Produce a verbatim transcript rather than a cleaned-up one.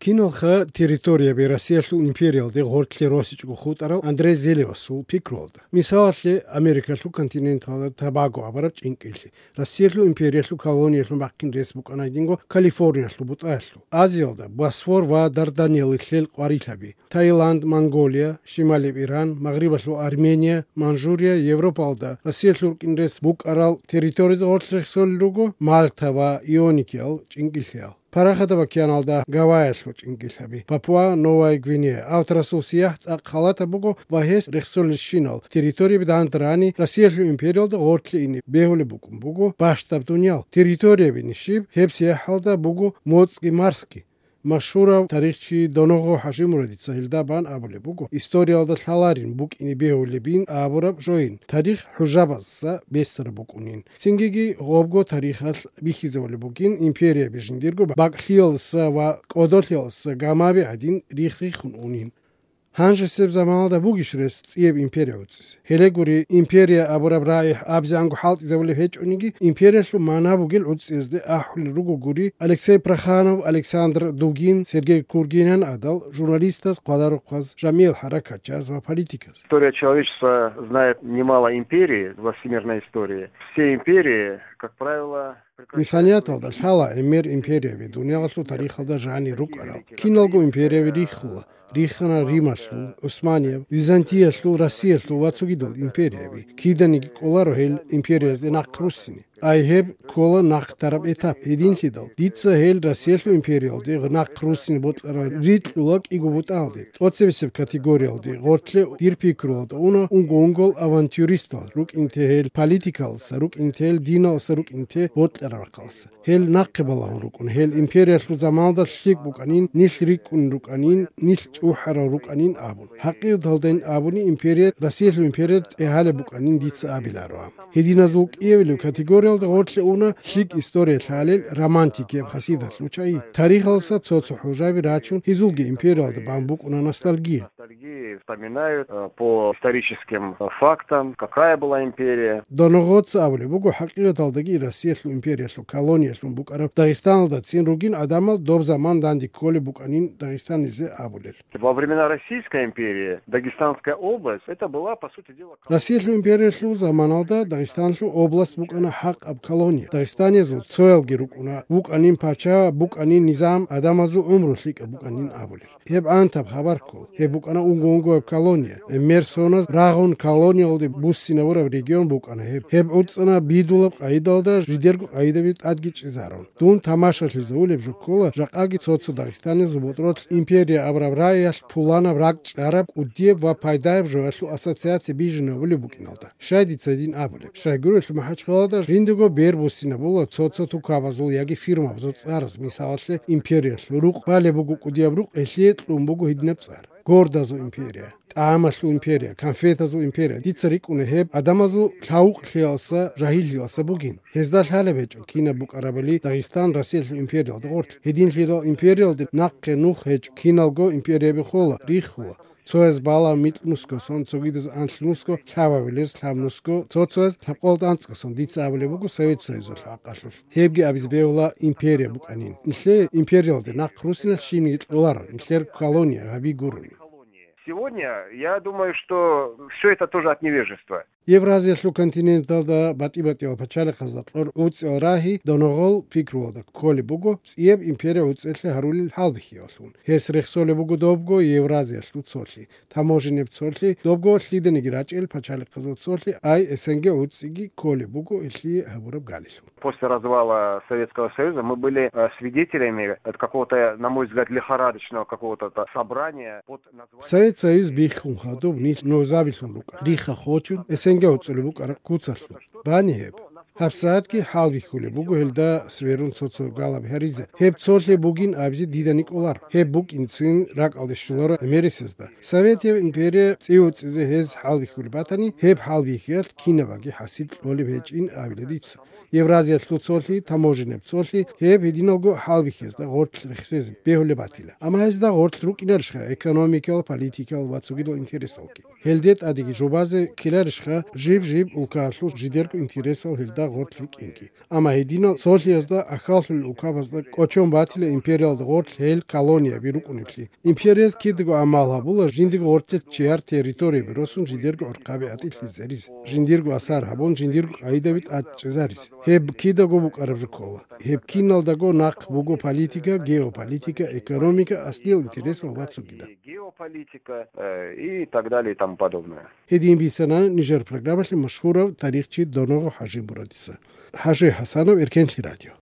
Киналха территорияби Россиялъул империялде гъортлъи росичӀого хутӀарал Андрей Зелевасул пикруялда. Мисалалъе, Америкалъул континенталда Тобаго абураб чӀинкӀиллъи, Россиялъул империялъул колониялъун бахъин рес букӀана гьединго Калифорниялъул бутӀаялъул. Азиялда Босфор ва Дарданеллил къварилъаби, Таиланд, Монголия, Шималияб Иран, Магърибалъул Армения, Манжурия, Европалда Россиялъул рукӀин рес букӀарал территориязе гъортлъи рехсолел руго, Мальта ва Ионикиял чӀинкӀиллъиял. Парахатаб океаналда Гавайялъул чӀинкӀиллъаби, Папуа-Новая Гвинея. Авторасул сияхӀ цӀакъ халатаб буго ва гьес рехсолелщинал территорияби данде рани Россиялъул империялда гъортлъи ине бегьулеб букӀун буго бащдаб дуниял. Территорияби нижиб гьеб сияхӀалда буго моцӀги марсги. Машгьурав тарихчи Доногъо ХӀажимурадица гьелда бан абулеб буго, историялда лъаларин букӀине бегьулебин абураб жойин, тарих хӀужабазда бессараб букӀунин. Цингиги гъобго тарихалъ бихьизабулеб бугин империяби жиндирго бакӀлъиялдаса ва кӀодолъиялдаса гамаби гӀадин рихх-риххун унин. Гьанжесеб заманалда бугищ рес цӀияб империя гӀуцӀизе? Гьеле гури, империя абураб рагӀи абзегӀанго хӀалтӀизабулеб гьечӀониги, империялъул магӀна бугел гӀуцӀиязде ахӀулел руго гури Алексей Проханов, Александр Дугин, Сергей Кургинян гӀадал журналистаз, хъвадарухъаз, жамигӀал хӀаракатчияз ва политиказ. История человечества знает немало империй во всемирной истории. Все империи, как правило, прекращаются. Инсанияталда лъала гӀемер империяби, дуниялалъул тарихалда жанир рукӀарал. Киналго империяби риххула. Риххана Рималъул, ГӀусманияб, Византиялъул, Россиялъул ва цогидал империяби. Киданиги кӀоларо гьел империязде нахъ руссине. Ай гьеб ккола нахъдараб этап. Гьединлъидал, дица гьел Россиялъул империялде нахъ руссине бокьарал рикьула кӀиго бутӀалде. ТӀоцебесеб категориялде гъортлъи дир пикруялда уна унго-унгол авантюристал, рукӀинте гьел политикалдаса, рукӀинте гьел диналдаса, рукӀинте бокьараб рахъалдаса. Гьел нахъе балагьун рукӀун, гьел империялъул заманалда лъикӀ букӀанин, нилъ рикӀкӀун рукӀанин, нилъ чӀухӀарал рукӀанин абун. ХӀакъикъаталдайин абуни, империя, Россиялъул империя тӀегьалеб букӀанин дица абиларо. Гьединазул кӀиабилеб категориялда гъортлъи уна лъикӀ история лъалел романтикияб хасидалъул чагӀи. Тарихалдаса цо-цо хӀужаби рачун, гьезулги империялда бан букӀуна ностальгия. Ностальгии вспоминают, э, по историческим, э, фактам, какая была империя. Доногъоца абулеб буго, хӀакъикъаталдаги Россиялъул империялъул колониялъун букӀараб Дагъистаналдацин ругин гӀадамал доб заман данде кколеб букӀанин Дагъистанизе абулел. Во времена Российской империи Дагестанская область, это была, по сути дела, колония. Россиялъул империялъул заманалда Дагъистанлъул область букӀана хӀакъаб колония. Дагъистаниязул цоялги рукӀуна, вукӀанин пача, букӀанин низам, гӀадамазул гӀумру лъикӀаб букӀанин абулел. Гьеб гӀантаб хабар ккола. Гьеб букӀана унго-унгояб колония. ГӀемер соназ рагъун колониялде буссинабураб регион букӀана гьеб. Гьеб гӀуцӀана бидулаб къагӀидалда, жидерго къагӀидаби тӀадги чӀезарун. Дун тамашалъизавулеб жо ккола, жакъаги цо-цо Дагъистаниязул ботӀролъ империя абураб рагӀиялъ пуланаб, ракӀчӀараб, кӀудияб ва пайдаяб жоялъул ассоциация бижинабулеб букӀиналда. Щай дица гьедин абулеб? Щайгурелъул, МахӀачхъаладал жиндего бер буссинабула цо-цо тукабазул яги фирмабазул цӀараз, мисалалъе, империялъул рукъ балеб буго кӀудияб рукъ, гьелъие кьун буго гьединаб цӀар: гордазул империя, тӀагӀамалъул империя, конфетазул империя. Дица рикӀкӀуна гьеб гӀадамазул лъавукълъиялдаса, жагьиллъиялдаса бугин. Гьезда лъалеб гьечӀо кинаб букӀарабали Дагъистан Россиялъул империялда гъорлъ. Гьединлъидал империялде нахъе нух гьечӀо, киналго империяби хола, риххула. Цояз балав микьнусго сон, цогидаз анлънусго, лъабабилез лъабнусго, цо-цояз лъабкъоялда анцӀго сон. Дица абулеб буго Совет Союзалъул хӀакъалъулъ. Гьебги абизе бегьула империя букӀанин. Нилъее империялде нахъ руссиналъ щибниги кьоларо, нилъер колония гьаби гурони. Сегодня, я думаю, что всё это тоже от невежества. Евразиялъул континенталда батӀи-батӀиял пачалихъазда кьор гӀуцӀиял рагьи Доногъол пикруялда кколеб буго, цӀияб империя гӀуцӀиялъе гьарулел хӀалбихьиялъун. Гьес рехсолеб буго добго Евразиялъул цолъи, таможеннияб цолъи, добго лъиданиги рачӀел пачалихъазул цолъи, ай СНГ гӀуцӀиги кколеб буго гьелъие гьабураб галилъун. После развала Советского Союза мы были, э, свидетелями, э, какого-то, на мой взгляд, лихорадочного какого-то та-, собрания под названием... Совет Союз биххун хадуб нилъ нузабилъун рукӀа, рихха хочун, СНГ гӀуцӀулеб букӀараб куцалъул. Бани гьеб? ГьабсагӀатги хӀалбихьулеб буго гьелда сверун цо-цо галаб гьаризе. Гьеб цолъи бугин абизе дидани кӀолар. Гьеб букӀинцин ракӀалде щоларо гӀемерисезда. Советияб империя цӀи-уцӀизе гьез хӀалбихьулеб батани, гьеб хӀалбихьиялъ кинабаги хӀасил кьолеб гьечӀин абила дица. Евразиялъул цолъи, таможеннияб цолъи, гьеб гьединалго хӀалбихьиязда гъоркь рехсезе бегьулеб батила. Амма гьезда гъоркь рукӀинарищха экономикал, политикал ва цогидал интересалги? Гьелде тӀадеги жубазе ккеларищха жиб-жиб улкаялъул жидерго интересал гьелда гъорлъ рукӀинги. Амма гьединал цолъиязда ахьаллъулел улкабазда кӀочон батила империялда гъорлъ гьел колонияби рукӀунеблъи. Империяз кидаго амал гьабула жиндиго гъорлъе чияр территорияби росун жидерго гӀурхъаби атӀилъизарис, жиндирго асар гьабун, жиндирго къагӀидаби тӀадчӀезарис. Гьеб кидаго букӀараб жо ккола. Гьеб киналдаго нахъ буго политика, геополитика, экономика, аслиял интересал ва цогидал. Геополитика, э, и так далее и тому подобное. Гьедин бицана нижер программалъе машгьурав тарихчи Доногъо ХӀажимурадица. ХӀажи ХӀасанов, Эркенлъи радио.